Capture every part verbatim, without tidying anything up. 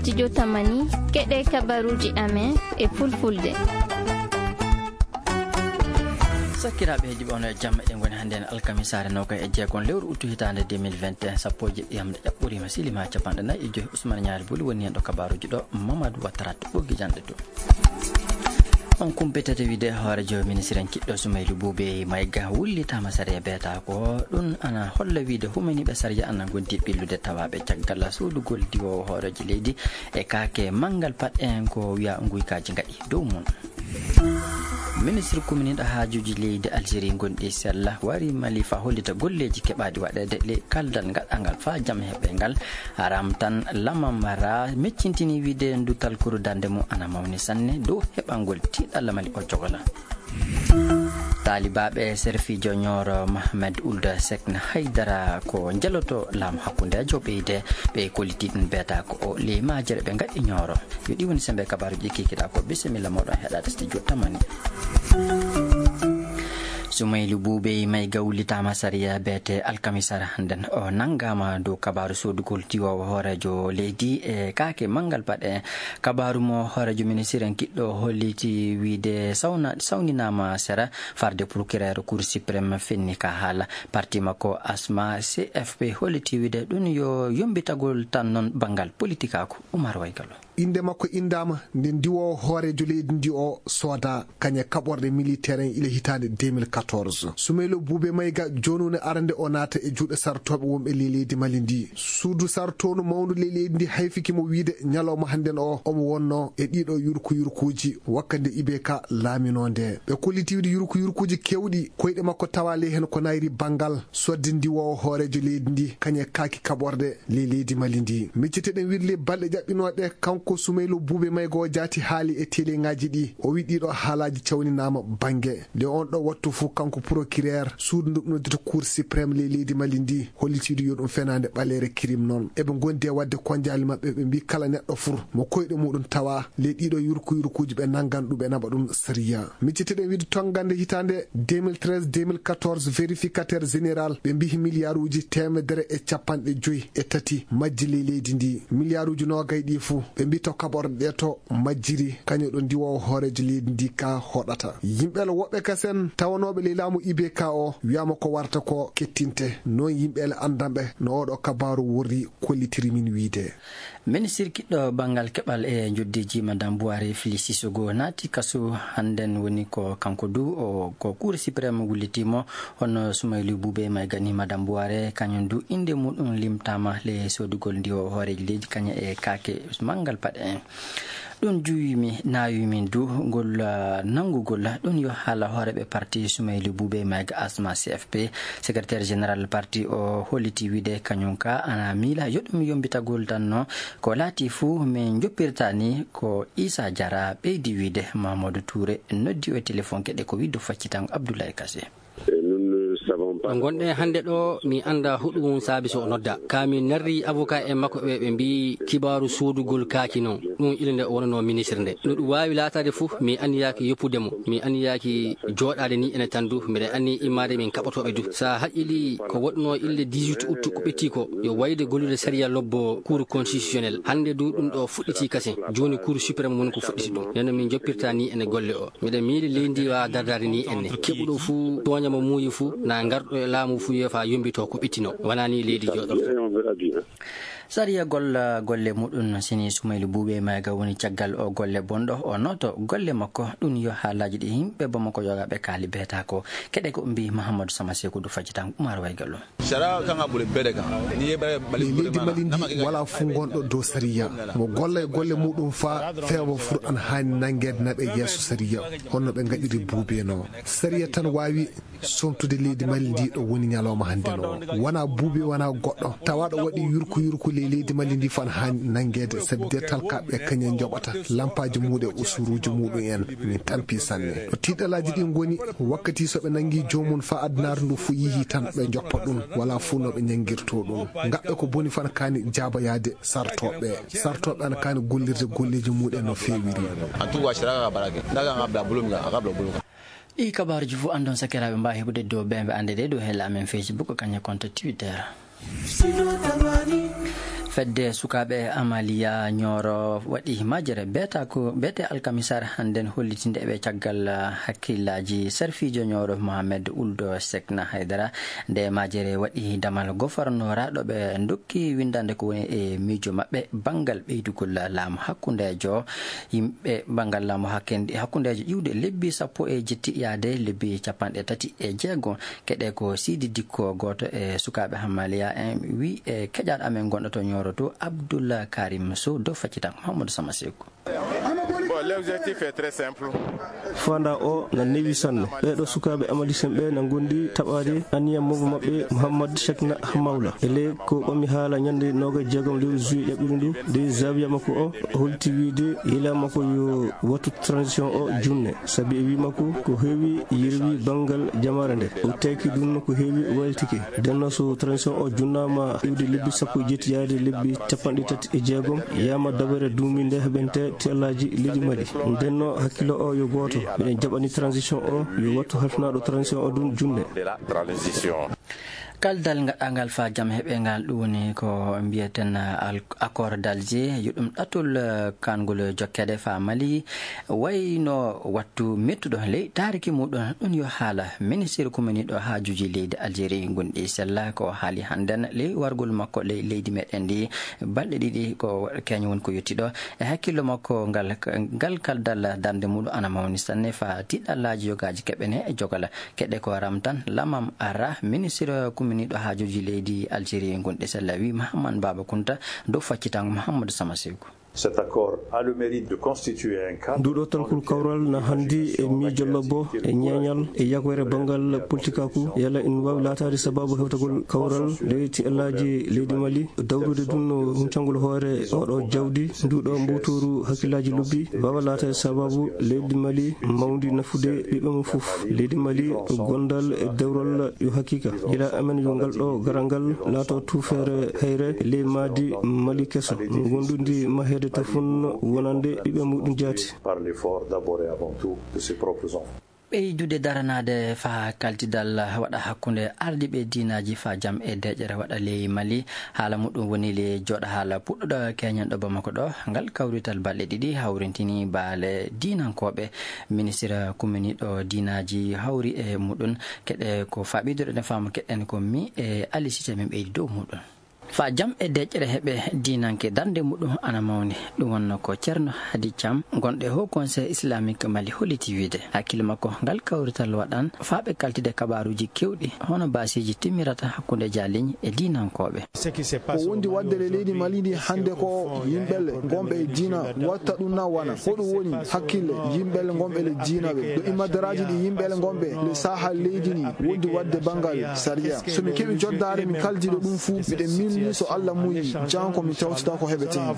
Studio Tamani, keɗe kabaruuji amen e fulfulde. Sakiraaɓe heɗiiɓe, on e jam. Eɗen ngoni hannde en alkamisaare noogay e jeegom lewru uttu hitaande deux mille vingt et un, sappo e jeɗɗi yamde ƴaɓɓoriima, siliima capanɗe nayi e joy. Ousmane Ñaari Boli woni heen ɗo kabaaruuji ɗo, Mamadou Ouattara to ɓoggi janɗe to. On kumpitata wiide hooreejo ministre en kiɗɗo Soumaïlou Boubèye Maïga wullitaama sariya beetaako. Ɗum ana holla wiide humaniiɓe sariya ana ngonti ɓillude tawaaɓe caggal suudugol diwoowo hooreejo leydi e kaake manngal paɗ en ko wiya nguykaaji ngaɗi dow mum. Ministre kuminiiɗo haajuuji leydi Algérie ngonɗi sella wari Mali faa hollita golleeji keɓaaɗi waɗeede ley kaldal ngaɗangal faa jam heɓe ngal. Haram tan lamam ra meccintini wiide ndu talkuru darnde mum ana mawni sanne dow heɓangol tiiɗalla Mali o jogola. Taalibaaɓe serfiijo Ñooro Mohamed Ould Sekne Haydara ko njeloto laamu hakkundeejo ɓeyde ɓe kolliti ɗum beeta ko o ley maajere ɓe ngaɗi Ñooro. Yo ɗi woni sembe kabaaruuji kikiɗa ko bisimilla moɗon heɗaade studio Tamani. Soumaïlou Boubèye Maïga wullitaama sariya beete alkamisara nden o nanngaama dow kabaaru soodugol diwoowo hooreejo leydi e kaake manngal paɗe. Kabaaru mo hooreejo ministiren kiɗɗo holliti wiide sawna-, sawninaama sera farde procureur Cour suprême fenni ka haala. Parti makko Asma C F P holliti wiide ɗum yo yombitagol tan noon banngal politikaaku. Umar Waygallo. Innde makko inndaama nde ndiwoowo hooreejo leydi ndi o sooda kañe kaɓorɗe militaire en ila hitaande deux mille quatorze. Soumaïlou Boubèye Maïga jooni woni arande o naata e juuɗe sartooɓe wonɓe ley leydi Mali ndi. Suudu sartoondu mawndu ley leydi ndi hayfiki mo wiide ñalawma hannden o omo wonno e ɗiɗo yurku yurkuuji wakkande I B K laaminoo nde. Ɓe kolliti wiide yurku yurkuuji keewɗi koyɗe makko tawa ley heen ko nayri banngal sodde ndiwoowo hooreejo leydi ndi kañe kaaki kaɓorɗe ley leydi Mali ndi. Micciteɗen wiide ley balɗe ƴaɓɓinooɗe, kanko Soumaïlou Boubèye Maïga o jaati haali e teleŋaaji ɗi. O wi ɗiɗo haalaaji cawninaama bannge. Nde on ɗo wattu fof, kanko procureur suudu ndu ɓe noddata Cour suprême ley leydi Mali ndi, hollitiidu yo ɗum fenaande ɓaleere crime noon. Eɓe ngondi e waɗde konjaali maɓɓe, ɓe mbi kala neɗɗo fof mo koyɗe muɗum tawa ley ɗiɗo yurku yurkuuji ɓe nanngan ɗum, ɓe naɓa ɗum sariya. Micciteɗen wiide tonngande hitaande deux mille treize deux mille quatorze, vérificateur général, ɓe mbiyi miliyaaruuji teemedere e capanɗe joyi e tati majji ley leydi ndi. Miliyaaruuji noogay ɗi fof, ɓe mbi to kaɓorɗe ɗe to majjiri, kañum ɗo ndiwoowo hooreejo leydi ndi ka hoɗata. Yimɓe la woɓɓe kasen tawanooɓe ley laamu I B K o wiyaama ko warata ko kettinte. Noon yimɓe la anndanɓe no oɗo kabaaru worri kollitiri min wiide. Ministirkiɗɗo banngal keɓal e njoddiiji, Madame Bouhari Fili Sissoko, naati kasu hannden, woni ko kanko du o, ko Cour suprême wulliti mo. Hono Soumaïlou Boubèye Maïga ni, Madame Bouhari kañum du innde muɗum limtaama le soodugol ndiwoowo hooreejo leydi kañum e kaake manngal paɗe en. Ɗum juwimi, naawimi du ngol, ah, nanngugol. Ɗum yo haala hooreeɓe parti Soumaïlou Boubèye Maïga Asma C F P. Secrétaire général parti o holliti wiide kañum ka ana miila yo ɗum yombitagol tan no ko laati fuu, min njoppirta ni ko Issa Diarra ɓeydi wiide. Mamadou Touré noddi o e téléphone keɗe ko wiide faccitango Abdoulaye Kassé. Ɗo ngonɗen hannde ɗo, mi annda huɗum saabi so o nodda. Ka mi narri avocat en makko ɓe, ɓe mbi kibaaru soodugol kaaki noon. Ɗum ille nde o wonanoo ministre nde. No ɗum waawi laataade fof, mi anniyaaki yoppude mo. Mi anniyaaki jooɗaade ni ene tan du. Mbiɗa anni immaade min kaɓotooɓe du. Sa haqqili ko waɗnoo ille dix-huit août ko ɓetti ko, yo wayde gollude sariya lobbo Cour constitutionnel. Hannde du ɗum ɗo fuɗɗiti kasen. Jooni Cour suprême woni ko fuɗɗiti ɗum. Nden no min joppirta ni ene golle o. Mbiɗa miili leydi ndi waawa dardaade ni enne. Keɓuɗo fuu tooña mo muuyi fuu, na ngarɗo e laamu fuu yeefa yombito ko ɓittino. Wonaa ni leydi jooɗorto. Sariya golla golle muɗum no sini Soumaïlou Boubèye Maïga woni caggal o golle bonɗo o nooto golle makko. Ɗum yo haalaaji ɗi yimɓe Bamako yogaaɓe kaali beeta ko. Keɗe ko mbi Mahamadou Sama Sekou du faccitan Oumar Waygallo. Sariya kan ka boli bɛɛ de kan. N'i ye bɛ Mali leydi Mali ndi wala fuu ngonɗo dow sariya. Mo golla e golle muɗum faa feewa fur an haani nanngeede naɓe yeeso sariya. Honno ɓe ngaɗiri Boubèye no? Sariya tan waawi somtude leydi Mali ndi ɗo woni ñalawma hannde no. Wona Boubèye, wona goɗɗo. Tawa ɗo waɗi yurku yurku ley leydi Mali ndi fan haani nanngeede, sabi de talkaaɓe kañum njoɓata lampaaji muɗum e usuruuji muɗum en. Min tampi sanne. Ɗo tiiɗalaaji ɗi ngoni, wakkati so ɓe nanngi joomum faa adunaaru ndu fuu yihi tan ɓe njoppa ɗum. Wala fuu no ɓe ñanngirto ɗum. Ngaɓɓe ko boni fan kaani jaaboyaade sartooɓe. Sartooɓe ana kaani gollirde golleeji muɗum no feewiri. En tout cas, sariya ka baara kɛ. N'a ka kan ka bila bolo min kan, a ka bila bolo kan. Ɗi kabaaruuji fof anndon sakiraaɓe mbaawi heɓude dow ɓe ɓe annde ɗe dow hella amen Facebook, kañum e compte Twitter. Fedde sukaaɓe Amaliya Ñooro waɗi majere beeta ko beete alkamisar hannden hollitinde ɓe caggal, ah, hakkillaaji sarfiijo Ñooro Mohamed Uldo Sekna Haydara. Nde majere waɗi damal gofornoraaɗo ɓe ndokki winndande ko woni e miijo maɓɓe banngal ɓeydugol laamu hakkundeejo yimɓe banngal laamu hakkendi-, hakkundeejo iwde lebbi sappo e jetti yaade lebbi capanɗe tati e jeego. Keɗe ko Sidi Dikko, gooto e sukaaɓe Hammaliya en, wi e keƴaaɗo amen gonɗo to Ñooro to, Abdoul Karim Sow, dow faccitan Mahamadou Sama Seku. Bon, l'objectif est très simple. Fanda o na newi sanne. Ɓeeɗo sukaaɓe Amalisen ɓe na ngondi taɓaade aniya mawɓe maɓɓe Mouhammad Cheikhna Hamawla. E ley ko ɓami haala ñande noga jeegom lewru juillet ƴaɓɓiɗo ndu, de zawiya makko o holti wiide yila makko yo wattu transition o junne. Sabi e wi makko ko heewi yerwi banngal jamaare nde. O teki ɗum ko heewi waylitike. Denno so transition o junnaama iwde lebbi sappo e jetti yaade lebbi capanɗe tati e jeegom, yama dabere duuminde heɓente tellaaji leydi Mali. Denno hakkilo o yo gooto. Miɗen jaɓani transition o, yo wattu halfinaaɗo transition o ɗum junne. De la transition. Kaldal ngaɗangal fa jam heɓe ngal ɗum woni ko mbiyeten al-, accord d'Alger, yo ɗum ɗatul, eh, kangol jokkede fa Mali, wayno wattu mettuɗo ley taariki muɗum ɗum yo haala ministre kumaniɗo haajuji leydi Algérie gonɗi sella ko haali hannden ley wargol makko ley leydi meɗen ndi balɗe ɗiɗi ko keño woni ko yettiɗo e hakkillo makko ngal, ngal kaldal darnde muɗum ana mawni sanne fa tiɗɗallaaji yogaaji keɓene e jogal. Keɗe ko ramtan lamam ara ministre kuminiɗo haajuji leydi Algérie gonɗe sella wi Mahamman Baba Kunta dow faccitango Mahamadou Sama Seku. Cet accord a le mérite de constituer un cadre. Nduɗo talkol kawral na handi e miijo lobbo e ñeeñal e yagoyre banngal politikaku yala ina waawi laataade sababu hewtagol kawral ley tiɗɗallaaji leydi Mali. Dawrude ɗum no huncangol hoore oɗo jawdi, nduɗo mbuuturu hakkillaaji lobbi, waawa laataade sababu leydi Mali mawndi nafude ɓiɓɓe mum fof. Leydi Mali gondal e dewral yo haqiqa. Gila amen yo ngal ɗo garal ngal laato tuufeere hayre ley maadi Mali keso. Gondundi maheede tafun wonande ɓiɓɓe muɗum jaati. Par l'effort d'abord et avant tout de ses propres enfants. Ɓeydude daranaade faa kaltidal waɗa hakkunde ardiiɓe diinaaji faa jam e deeƴere waɗa ley Mali. Haala muɗum woni le jooɗa haala puɗɗuɗo keñen ɗo Bamako ɗo. Ngal kawrital balɗe ɗiɗi hawrintini baale diinankooɓe. Ministir kuminiiɗo diinaaji hawri e muɗum. Keɗe ko faaɓidude no faamu keɗen ko mi e Ali Sise min ɓeydi dow muɗum. Fa jam e deƴƴere heɓe diinanke darnde muɗum ana mawni. Ɗum wonno ko Ceerno Hadi Cam, gonɗo e Haut Conseil Islamique Mali, holliti wiide hakkille makko ngal kawrital waɗan faa ɓe kaltide kabaaruuji keewɗi, hono baasiiji timmirata hakkunde jaaliñ e diinankooɓe. Ko wondi waɗde e leydi Mali ndi hannde ko yimɓe le ngonɓe e diina watta ɗum na wana. Ko ɗum woni hakkille yimɓe le ngonɓe le diina ɓe. Ɗo immadaraaji ɗi yimɓe le ngonɓe le saaha leydi ndi wondi waɗde banngal sariya. So mi keɓi joddaare mi kaldiɗo ɗum fuu, miɗen milni so Allah muyi, jan ko mi tawtata ko heɓete heen.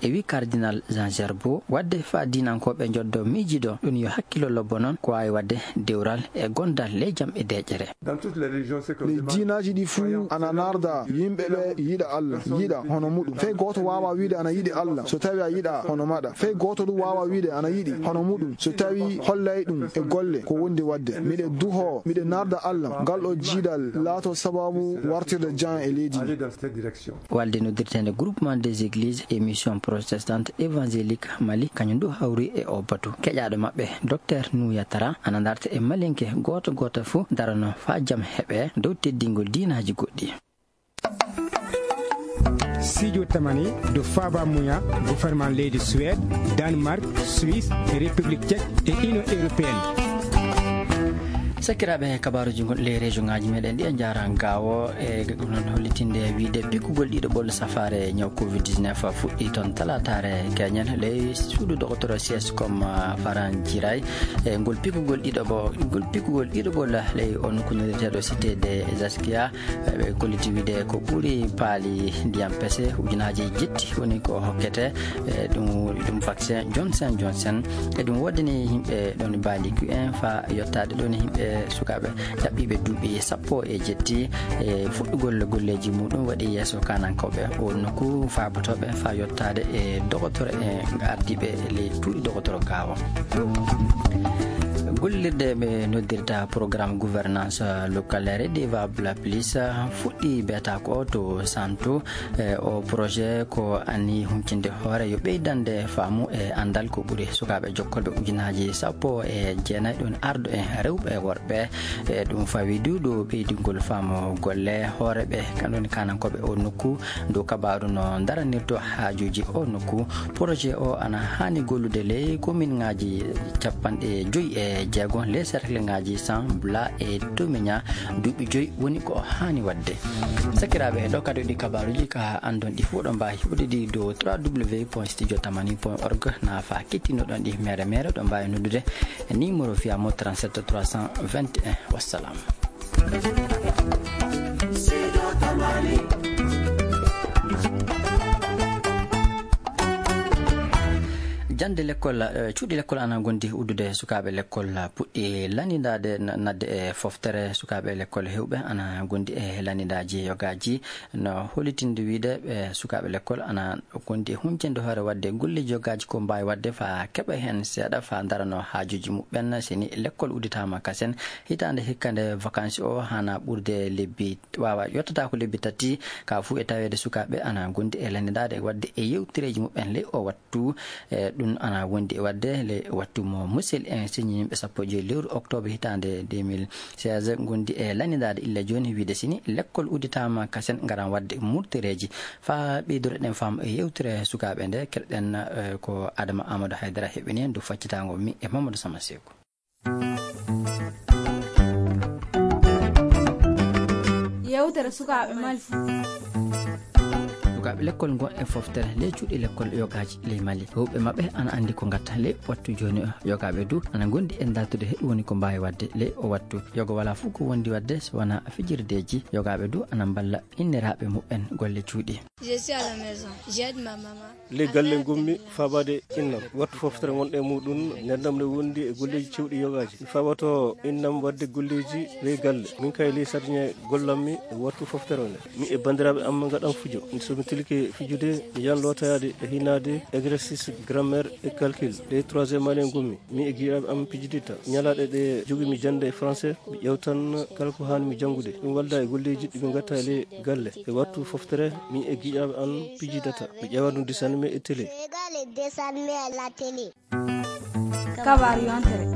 E wi Cardinal Jean Gerbaud, waɗde faa diinankooɓe njoddo miijido, ɗum yo hakkilo lobbo noon ko waawi waɗde dewral e gondal ley jam e deƴƴere. Les diinaaji ɗi fuu ana narda yimɓe ɓe yiɗa Allah, yiɗa hono muɗum. Fey gooto waawaa wiide ana yiɗi Allah so tawi a yiɗaa hono maɗa. Fey gooto ɗum waawaa wiide ana yiɗi hono muɗum so tawi hollay ɗum e golle ko wondi waɗde. Miɗe duhoo, miɗe narda Allah, ngal ɗo jiidal laato sababu wartirde jam e leydi ndi. Walde noddirteende Groupement des Églises et Missions Protestantes Évangéliques Mali, kañum du hawri e o batu. Keƴaaɗo maɓɓe, Docteur Nouyatara, ana darta e Malinke gooto gooto fuu darano faa jam heɓe dow teddingol diinaaji goɗɗi. Studio Tamani do Faba Muya, gouvernement leydi Suède, Danemark, Suisse, République Tchèque et Union Européenne. Sakiraaɓe, kabaaruuji ngon ley région ŋaaji meɗen ɗi e njaara gaawo e ɗum noon hollitinde wiide pikkugol ɗiɗo ɓollo safaare ñaw covid dix-neuf fuɗɗi toon talaataare keñen ley suudu doktoro C S com, ah, Faran Jiray. E ngol pikkugol ɗiɗo ɓo-, ngol pikkugol ɗiɗo ɓollo ley on ko nodditeeɗo Cité des Askia. Ɓe kolliti wiide ko ɓuri paali ndiyam pese ujunaaji jetti woni ko hokkete, e ɗum, ɗum vaccin Johnson Johnson. E ɗum woodani yimɓe ɗon baaliki en faa yottaade ɗon yimɓe sukaaɓe ɗaɓɓiiɓe duuɓi sappo e jetti. E fuɗɗugol golleeji muɗum waɗi yeeso kaanankooɓe o nokku faabotooɓe faa yottaade e dogotoro e ardiiɓe ley cuuɗi dogotoro gaawo. Gollirde ɓe noddirta programme gouvernance locale redevable plus fuɗɗi beeta ko to Santo. E o projet ko anni huncinde hoore yo ɓeydande faamu e anndal ko ɓuri sukaaɓe jokkolɓe ujunaaji sappo e jeenayi ɗon ardo en rewɓe e worɓe. E ɗum fawi du ɗo ɓeydingol faamu golle hooreɓe kanɗon kanankooɓe o nokku dow kabaru no daranirto haajuuji o nokku. Projet o ana haani gollude ley kominŋaaji capanɗe joyi e jeego ley serkleŋaaji San Bla e Tomiña. Duuɓi joyi woni ko haani waɗde. Sakiraaɓe, ɗo kadi ɗi kabaruuji ka anndon ɗi fof ɗo mbaawi huɗe ɗi dow trois w point studio tamani point org. Naafa kettinoɗon ɗi mere mere ɗo mbaawi noddude numéro fiyamo trente-sept trois cent vingt et un. Wassalam. Jannde lekkol, eh, cuuɗi lekkol ana ngondi uddude sukaaɓe lekkol puɗɗi lanndindaade na-, naatde e foftere. Sukaaɓe lekkol heewɓe ana ngondi e lanndindaaji yogaaji no hollitinde wiyde ɓe sukaaɓe lekkol ana ngondi e huncinde hoore waɗde golleeji yogaaji ko mbaawi waɗde faa keɓa heen seeɗa faa ndarano haajuuji muɓɓen. Seni lekkol udditaama kasen hitaande hikka nde vacances o hana ɓurde lebbi waawa yottata ko lebbi tati ka fuu e taweede sukaaɓe ana ngondi e lanndaade waɗde e yewtereeji muɓɓen ley o wattu. E ɗum ana wondi e waɗde ley wattu mo musel en siñi yimɓe sappo e joyi lewru octobre hitaande deux mille seize ngondi e lanndaade illa jooni wiyde sini lekkol udditaama kasen ngaran waɗde murtereeji faa ɓeydoro ɗen faamu e yewtere sukaaɓe nde keɗoɗen, eh, ko Adama Amadou Haydara heɓini en du faccitaango mi e Mamadou Sama Seeku. Yewtere sukaaɓe Mali. Sukaaɓe lekkol ngon e foftere ley cuuɗi lekkol yogaaji ley Mali. Heewɓe maɓɓe ana anndi ko ngatta ley wattu jooni o. Yogaaɓe du ana ngondi e dartude heɗu woni ko mbaawi waɗde ley o wattu. Yoga walaa fof ko wondi waɗde so wonaa fijirdeeji. Yogaaɓe du ana mballa inniraaɓe muɓɓen golle cuuɗi. Je suis à la maison. J'aide ma maman. Ley galle ngonmi faabaade innam. Wattu foftere ngonɗo e muɗum, ndenndam ne wondi e golleeji cewɗi yogaaji. Mi faabato innam waɗde golleeji ley galle. Min kay ley sardiŋe gollammi e wattu foftere nde. Mi e banndiraaɓe am ngaɗan fujo. So mi tilike fijude, mi yahan lootoyaade e hinaade exercice grammaire et calcul. Ley troisième année ngonmi. Mi e giɗaaɓe am pijidita. Ñalaaɗe ɗe jogimi jannde e français, mi ƴeewtan kala ko haani mi janngude. Ɗum walda e golleeji ɗi mi ngatta e ley galle. E wattu foftere, mi e giɗaaɓe am pijidata. Mi ƴeewa ɗum dessin animé e télé. Je regarde les dessins animés à la télé. Kabaru yontere.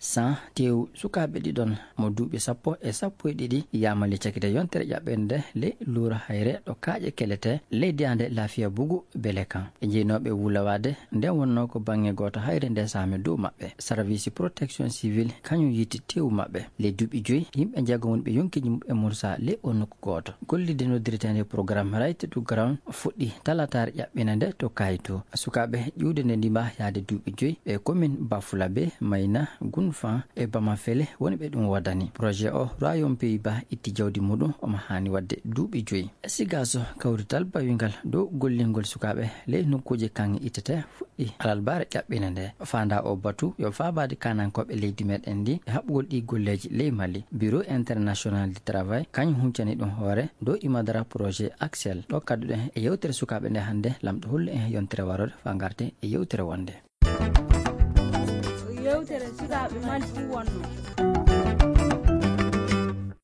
San tew sukaaɓe ɗiɗon mo duuɓi sappo e sappo e ɗiɗi yamali cakite yontere ƴaɓɓende ley luura hayre ɗo kaaƴe kelete ley diyaande Lafiya Bugu Belekan. E jeynooɓe wulawaade nden wonnoo ko baŋŋe gooto hayre nde saami dow maɓɓe. Service protection civile kañum yiti tewu maɓɓe. Ley duuɓi joyi, yimɓe njeego woni ɓe yonkiiji muɓɓen mursa ley o nokku gooto. Gollirde noddireteende programme Right to Ground fuɗɗi talataare ƴaɓɓina nde to Kayto. Sukaaɓe ƴuwde nde ndima yaade duuɓi joyi ɓe commune Bafulabe, Mayna, Gunfan e Bamafele woni ɓe ɗum waɗani. Projet o Royaume Pays-Bas itti jawdi muɗum omo haani waɗde duuɓi joyi. Sigaso kawrital bawingal dow gollingol sukaaɓe ley nokkuuji kaŋŋe ittete fuɗɗi alarbaare ƴaɓɓina nde. Faanda o batu yo faabaade kaanankooɓe leydi meɗen ndi e haɓɓugol ɗi golleeji ley Mali. Bureau International du Travail kañum huncani ɗum hoore dow imadara projet Axel. Ɗo kadduɗen e yewtere sukaaɓe nde hannde, lamɗo hollu en yontere warore faa ngarten e yewtere wonde. Yewtere sukaaɓe Mali fuu wonno.